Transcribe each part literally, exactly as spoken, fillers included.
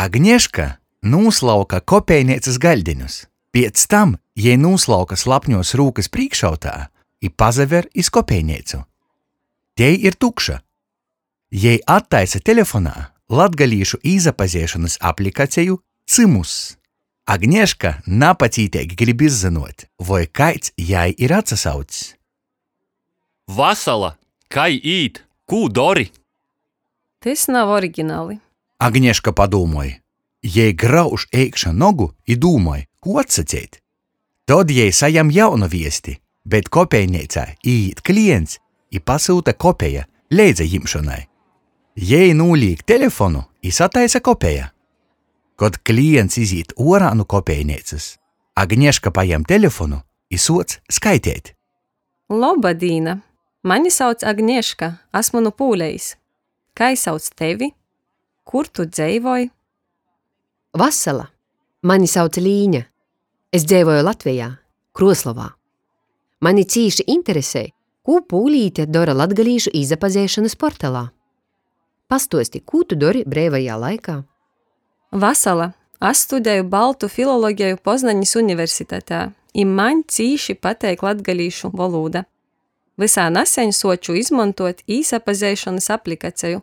Agneška nūslauka kopejneicys gaļdeņus. Piec tam jei nūslauka slapņuos rūkys prīškautā i pasaver iz kopejneicu. Tei ir tukša. Jei attaisa telefonā latgalīšu īsapazeišonys aplikaceju Cymuss. Agneška napacīteigi grib izzynuot, voi kaids jai ir atsasaucs. Vasala! Kai īt? Kū dori? Tys nav originali. Agneška padūmoj. Jei grauž eikša nogu i dūmoj, kū atsaceit. Tod jei sajam jaunu viesti, bet kopejneicā īīt klients i pasyuta kopeja leidzajimšonai. Jei nūlīk telefonu i sataisa kopeja. Kod klients izīt uorā nu kopejneicys, Agneška pajem telefonu i suoc skaiteit. Loba dīna! Mani sauc Agneška, asmu nu Pūlejis. Kai sauc tevi? Kur tu dzeivoj? Vasala! Mani sauc Līņa. Es dzeivoju Latvejā, Kruoslovā. Mani cīši interesej, kū pūlīte dora latgalīšu īsapazeišonys portalā. Pastuosti, kū tu dori breivajā laikā? Vasala! Es studeju baltu filologeju Poznanis Universitatē, i maņ cīši pateik latgalīšu volūda. Vysā naseņ suoču izmontuot īsapazeišonys aplikaceju.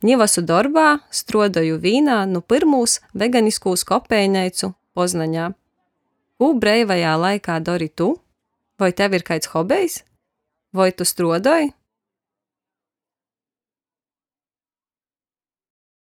Niu asu dorbā, struodoju vīnā nu pyrmūs veganiskūs kopejneicu Poznaņā. Kū breivajā laikā dori tu? Voi tev ir kaids hobejs? Voi tu struodoj?